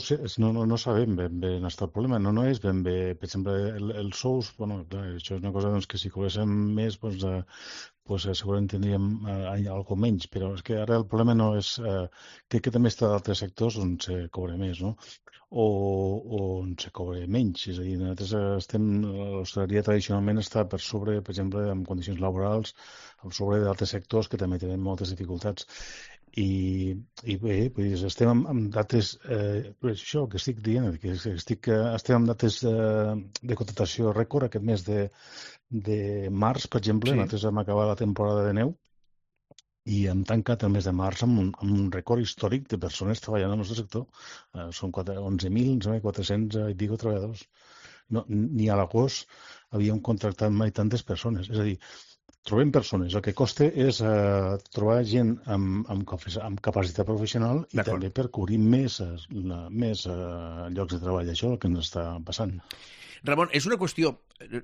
sabem ben bé on està el problema. No és ben bé, per exemple, els sous, bueno, clar, això és una cosa que si cobréssim més, segurament tindríem alguna menys, però és que ara el problema no és... Crec que també està d'altres sectors on se cobra més, no? O on se cobra menys. És a dir, nosaltres l'hostaleria tradicionalment està per sobre, per exemple, en condicions laborals, per sobre d'altres sectors que també tenen moltes dificultats. I bé, estem amb dates, això que estic dient, que estem amb dates de contractació rècord aquest mes de març, per exemple. Nosaltres hem acabat la temporada de neu i hem tancat el mes de març amb un rècord històric de persones treballant al nostre sector. Són 11.400 i pico treballadors. Ni a l'agost havíem contractat mai tantes persones. És a dir, trobem persones. El que costa és trobar gent amb capacitat professional i també per cobrir més llocs de treball. Això és el que ens està passant. Ramon, és una qüestió,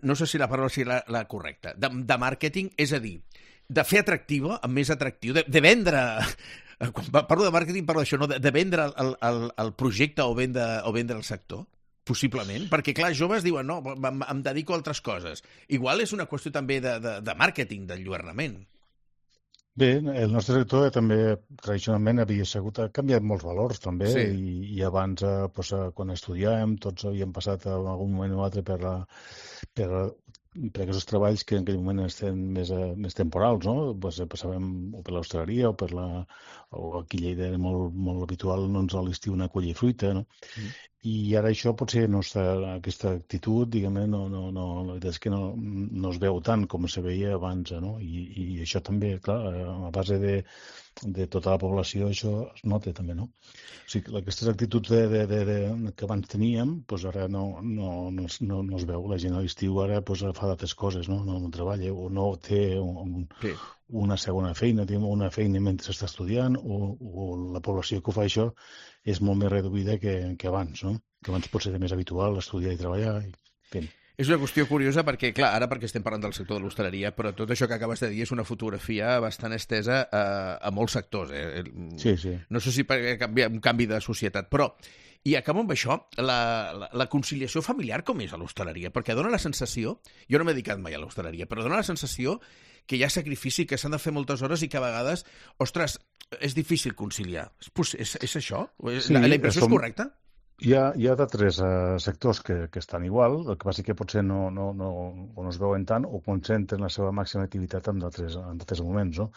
no sé si la paraula serà la correcta, de màrqueting, és a dir, de fer atractiva, més atractiu, de vendre... Quan parlo de màrqueting parlo d'això, no? De vendre el projecte o vendre el sector? Possiblement, perquè, clar, joves diuen, no, em dedico a altres coses. Igual és una qüestió també de màrqueting, d'enlluernament. Bé, el nostre sector també tradicionalment ha canviat molts valors també, i abans, quan estudiàvem, tots havíem passat en algun moment o altre per aquests treballs que en aquell moment estan més temporals, no? Passàvem o per l'hostaleria o aquí a Lleida era molt habitual, doncs, a l'estiu anar a collir fruita, no? I ara això potser no està, aquesta actitud, diguem-ne, la veritat és que no es veu tant com se veia abans, no? I això també, clar, a base de tota la població això es nota també, no? O sigui, aquestes actituds que abans teníem, doncs ara no es veu. La gent a l'estiu ara fa d'altres coses, no treballa o no té una segona feina, una feina mentre està estudiant, o la població que ho fa això és molt més reduïda que abans, no? Que abans potser era més habitual estudiar i treballar. És una qüestió curiosa perquè, clar, ara perquè estem parlant del sector de l'hostaleria, però tot això que acabes de dir és una fotografia bastant estesa a molts sectors. Sí. No sé si per un canvi de societat, però... I acabo amb això, la conciliació familiar com és a l'hostaleria? Perquè dona la sensació, jo no m'he dedicat mai a l'hostaleria, però dona la sensació que hi ha sacrifici, que s'han de fer moltes hores i que a vegades, ostres, és difícil conciliar. És això? La impressió és correcta? Hi ha d'altres sectors que estan igual, el que passa que potser no es veuen tant o concentren la seva màxima activitat en d'altres moments, no?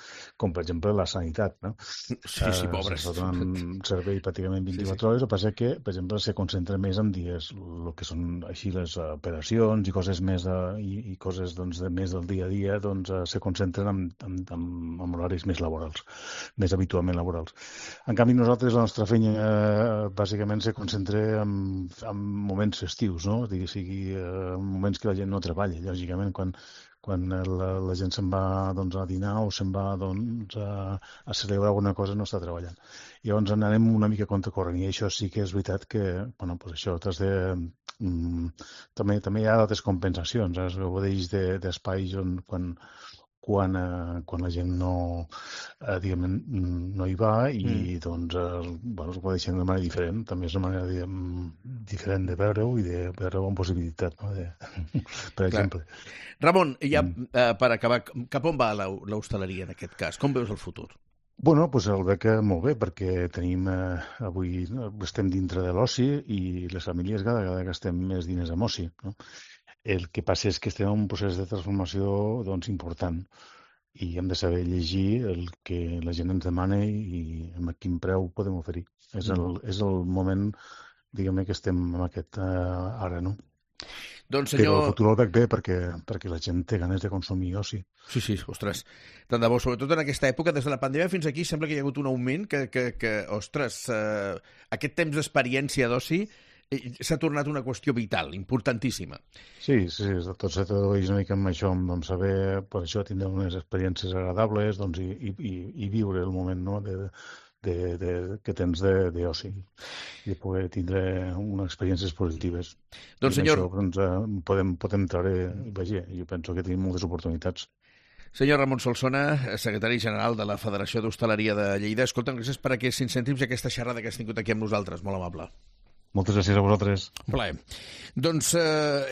Com per exemple la sanitat, no? Sí, pobres. S'està donant servei pràcticament 24 hores, el que passa que, per exemple, se concentra més en dies, el que són així les operacions i coses més i coses més del dia a dia, se concentren en horaris més laborals, més habitualment laborals. En canvi, nosaltres, la nostra feina bàsicament se concentra en moments festius, no? Sigui moments que la gent no treballa, lògicament, quan la gent se'n va a dinar o se'n va a celebrar alguna cosa, no està treballant. Llavors anem una mica contracorrent, i això sí que és veritat que, això també hi ha altres compensacions, es gaudeix d'espais quan la gent no hi va i es va deixar d'una manera diferent. També és una manera diferent de veure-ho i de veure-ho amb possibilitat, no? Per exemple. Ramon, ja per acabar, cap on va l'hostaleria en aquest cas? Com veus el futur? Bueno, el veig molt bé, perquè avui estem dintre de l'oci i les famílies cada vegada gastem més diners en oci, no? El que passa és que estem en un procés de transformació important i hem de saber llegir el que la gent ens demana i amb quin preu podem oferir. És el moment, diguem-ne, que estem en aquest ara, no? Doncs, senyor... Però el futur el veig bé perquè la gent té ganes de consumir oci. Sí, ostres, tant de bo, sobretot en aquesta època, des de la pandèmia fins aquí, sembla que hi ha hagut un augment que ostres, aquest temps d'experiència d'oci s'ha tornat una qüestió vital, importantíssima. Sí, tot se tradueix una mica amb això, amb saber, per això, tindre unes experiències agradables i viure el moment, no? que tens d'oci i poder tindre unes experiències positives. Doncs, senyor... Això, podem treure... Vaja, jo penso que tenim moltes oportunitats. Senyor Ramon Solsona, secretari general de la Federació d'Hostaleria de Lleida, escolta'm, gràcies per aquests 5 cèntims i aquesta xerrada que has tingut aquí amb nosaltres, molt amable. Moltes gràcies a vosaltres. Un plaer. Doncs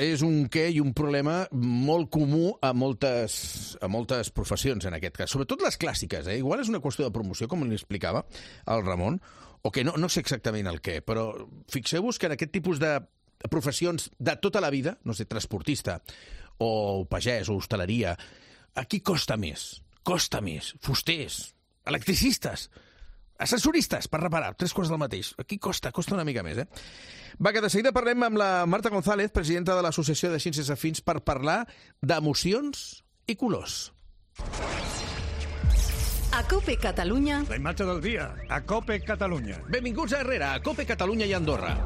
és un què i un problema molt comú a moltes professions, en aquest cas. Sobretot les clàssiques, Igual és una qüestió de promoció, com li explicava el Ramon, o que no sé exactament el què, però fixeu-vos que en aquest tipus de professions de tota la vida, no sé, transportista, o pagès, o hostaleria, aquí costa més, fusters, electricistes, ascensoristes per reparar, 3 quarts del mateix. Aquí costa una mica més, Va, que de seguida parlem amb la Marta González, presidenta de l'Associació de Ciències Afins, per parlar d'emocions i colors. A COPE Catalunya... La imatge del dia, a COPE Catalunya. Benvinguts a Herrera, a COPE Catalunya i Andorra.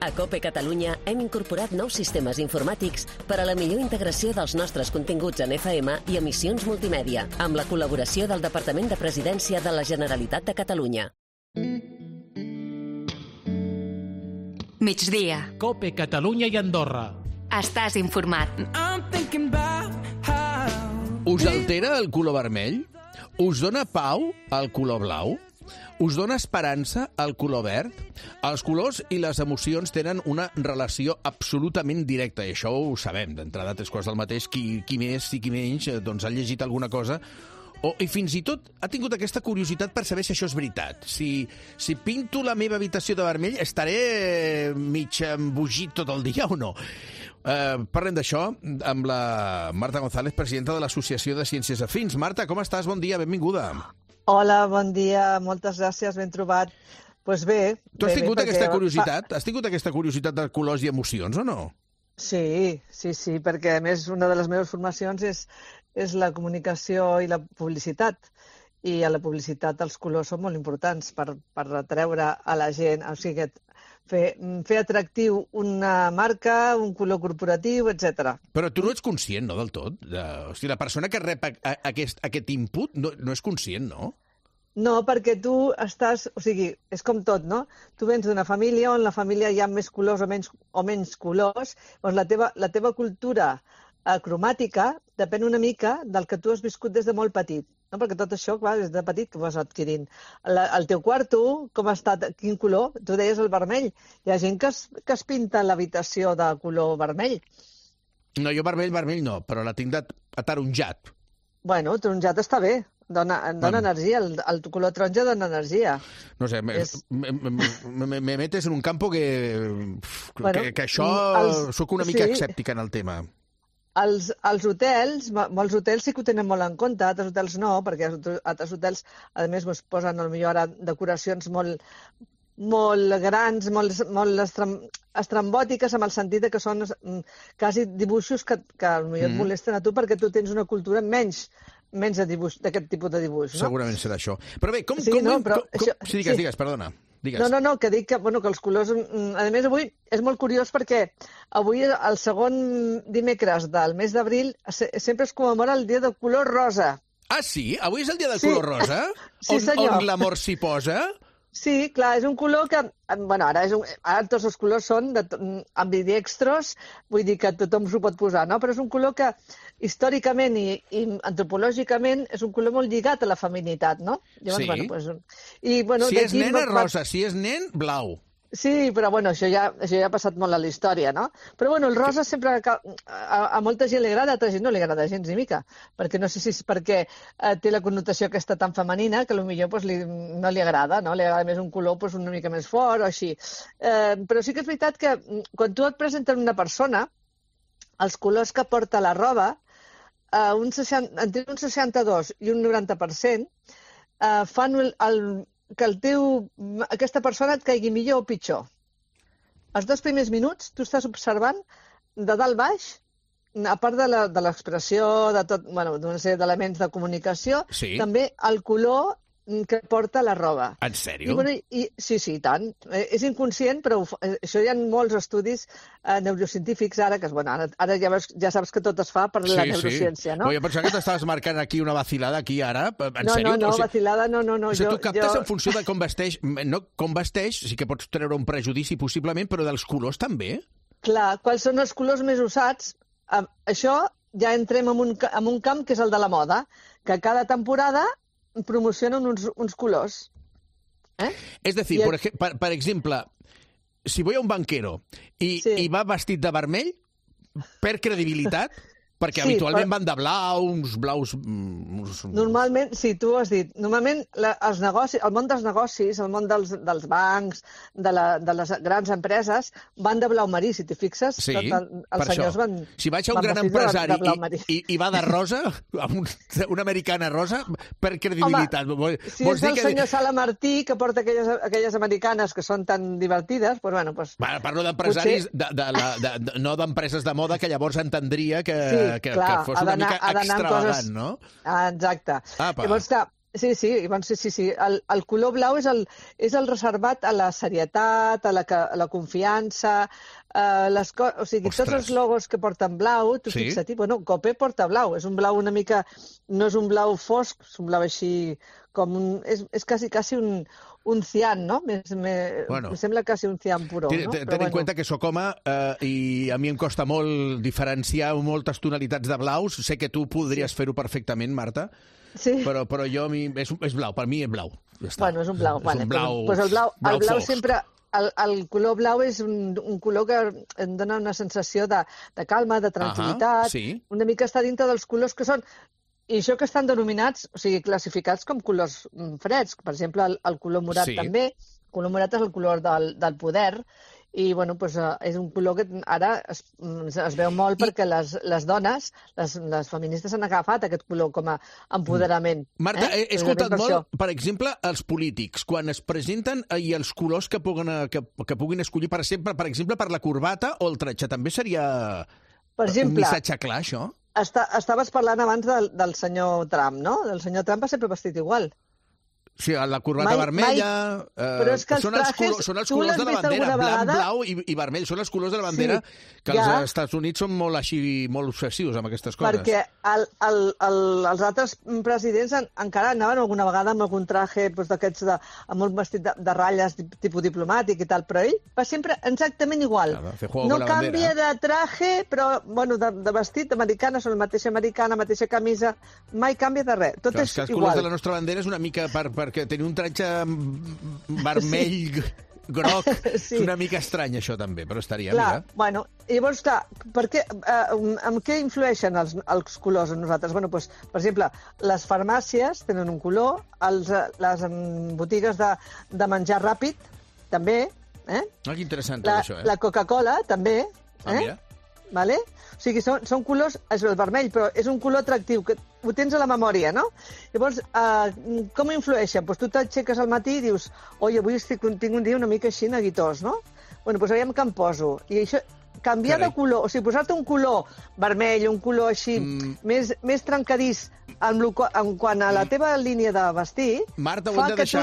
A COPE Catalunya hem incorporat nous sistemes informàtics per a la millor integració dels nostres continguts en FM i emissions multimèdia, amb la col·laboració del Departament de Presidència de la Generalitat de Catalunya. Migdia. COPE Catalunya i Andorra. Estàs informat. Us altera el color vermell? Us dona pau el color blau? Us dona esperança el color verd? Els colors i les emocions tenen una relació absolutament directa, i això ho sabem, d'entrada 3 quarts del mateix, qui més i qui menys doncs ha llegit alguna cosa, i fins i tot ha tingut aquesta curiositat per saber si això és veritat. Si pinto la meva habitació de vermell, estaré mig embogit tot el dia o no? Parlem d'això amb la Marta González, presidenta de l'Associació de Ciències Afins. Marta, com estàs? Bon dia, benvinguda. Hola, bon dia, moltes gràcies, ben trobat. Doncs bé... Tu has tingut aquesta curiositat? Has tingut aquesta curiositat de colors i emocions, o no? Sí, perquè a més una de les meves formacions és la comunicació i la publicitat. I a la publicitat els colors són molt importants per atreure a la gent, o sigui, fer atractiu una marca, un color corporatiu, etc. Però tu no ets conscient, no, del tot? O sigui, la persona que rep aquest input no és conscient, no? No, perquè tu estàs... O sigui, és com tot, no? Tu vens d'una família on la família hi ha més colors o menys colors, doncs la teva cultura cromàtica depèn una mica del que tu has viscut des de molt petit. No? Perquè tot això, clar, des de petit que ho vas adquirint. El teu quarto, com ha estat, quin color? Tu deies el vermell. Hi ha gent que es pinta l'habitació de color vermell. No, jo vermell no, però la tinc ataronjat. Bueno, taronjat està bé. Dona energia, el color taronja dona energia. No sé, me metes en un campo que això... Soc una mica escèptica en el tema. Els hotels, molts hotels sí que ho tenen molt en compte, altres hotels no, perquè altres hotels, a més, posen potser ara decoracions molt grans, molt estrambòtiques, en el sentit que són quasi dibuixos que potser et molesten a tu perquè tu tens una cultura menys de dibuix, d'aquest tipus de dibuix, no? Segurament serà això. Però bé, digues, perdona. Digues. No, que dic que els colors... A més, avui és molt curiós perquè avui, el segon dimecres del mes d'abril, sempre es commemora el dia del color rosa. Ah, sí? Avui és el dia del color rosa? Sí, senyor. On l'amor s'hi posa? Sí, clar, és un color que... Ara tots els colors són ambidextros, vull dir que tothom s'ho pot posar, no? Però és un color que històricament i antropològicament és un color molt lligat a la feminitat, no? Llavors, sí. Si és nen és rosa, si és nen, blau. Sí, però això ja ha passat molt a la història, no? Però el rosa sempre a molta gent li agrada, a altra gent no li agrada gens ni mica, perquè no sé si és perquè té la connotació aquesta tan femenina que potser no li agrada, no? Li agrada més un color una mica més fort o així. Però sí que és veritat que quan tu et presenten una persona, els colors que porta la roba, entre un 62 i un 90%, fan que aquesta persona et caigui millor o pitjor. Els 2 primers minuts tu estàs observant de dalt baix, a part de l'expressió, d'una sèrie d'elements de comunicació, també el color que porta la roba. En sèrio? Sí, tant. És inconscient, però això hi ha molts estudis neurocientífics ara, que ara ja saps que tot es fa per la neurociència, no? Jo pensava que t'estaves marcant aquí una vacilada, aquí, ara. En sèrio? No, vacilada no. O sigui, tu captes en funció de com vesteix, sí que pots treure un prejudici possiblement, però dels colors també? Clar, quals són els colors més usats? Això ja entrem en un camp que és el de la moda, que cada temporada promocionen uns colors. És a dir, per exemple, si voy a un banquero i va vestit de vermell, per credibilitat, perquè habitualment van de blaus... Normalment, sí, tu ho has dit. Normalment el món dels negocis, el món dels bancs, de les grans empreses, van de blau marí, si t'hi fixes. Sí, els senyors van... Si vaig a un gran empresari i va de rosa, una americana rosa, per credibilitat. Home, si és el senyor Sala Martí, que porta aquelles americanes que són tan divertides, doncs bueno... Parlo d'empresaris, no d'empreses de moda, que llavors entendria que fos una mica extravagant, no? Exacte. Llavors, sí. El color blau és el reservat a la serietat, a la confiança, o sigui, tots els logos que porten blau, tu fixa't, Cope porta blau, és un blau una mica, no és un blau fosc, és un blau així com és quasi un cian, no? Em sembla quasi un cian puro. Ten en compte que sóc home i a mi em costa molt diferenciar moltes tonalitats de blaus. Sé que tu podries fer-ho perfectament, Marta, però jo és blau, per mi és blau. Bueno, és un blau. El blau sempre... El color blau és un color que em dona una sensació de calma, de tranquil·litat, una mica està dintre dels colors que són... I això que estan denominats, o sigui, classificats com colors freds. Per exemple, el color morat també. El color morat és el color del poder. I, és un color que ara es veu molt perquè les dones, les feministes han agafat aquest color com a empoderament. Marta, he escoltat molt, per exemple, els polítics, quan es presenten i els colors que puguin escollir per sempre, per exemple, per la corbata o el tratge, també seria un missatge clar, això? Estaves parlant abans del senyor Trump, no? El senyor Trump va sempre vestit igual. Sí, la corbata vermella... Però és que els trajes... Són els colors de la bandera, blanc, blau i vermell. Són els colors de la bandera que els Estats Units són molt obsessius amb aquestes coses. Perquè els altres presidents encara anaven alguna vegada amb algun traje d'aquests amb un vestit de ratlles tipus diplomàtic i tal, però ell va sempre exactament igual. No canvia de traje, però de vestit, americana, són la mateixa americana, mateixa camisa, mai canvia de res. Tot és igual. Els colors de la nostra bandera és una mica perquè tenir un tratge vermell, groc, és una mica estrany, això també, però estaria, mira. Llavors, amb què influeixen els colors a nosaltres? Per exemple, les farmàcies tenen un color, les botigues de menjar ràpid, també. Que interessant tot això, La Coca-Cola, també. Mira. Vale? O sigui, són colors, és el vermell, però és un color atractiu, que ho tens a la memòria, no? Llavors, com influeixen? Tu t'aixeques al matí i dius, oi, avui tinc un dia una mica així neguitós, no? Aviam què em poso. I això, canviar de color, o sigui, posar-te un color vermell, un color així, més trencadís, en quant a la teva línia de vestir, Marta, fa que tu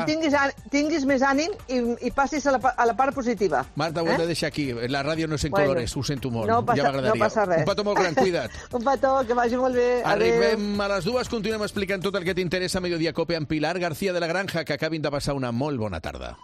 tinguis més ànim i passis a la part positiva. Marta, ho hem de deixar aquí. La ràdio no és en colores, ho sento molt. No passa res. Un petó molt gran, cuida't. Un petó, que vagi molt bé. Arribem a les 2, continuem explicant tot el que t'interessa a Mediodía Cope amb Pilar García de la Granja, que acabin de passar una molt bona tarda.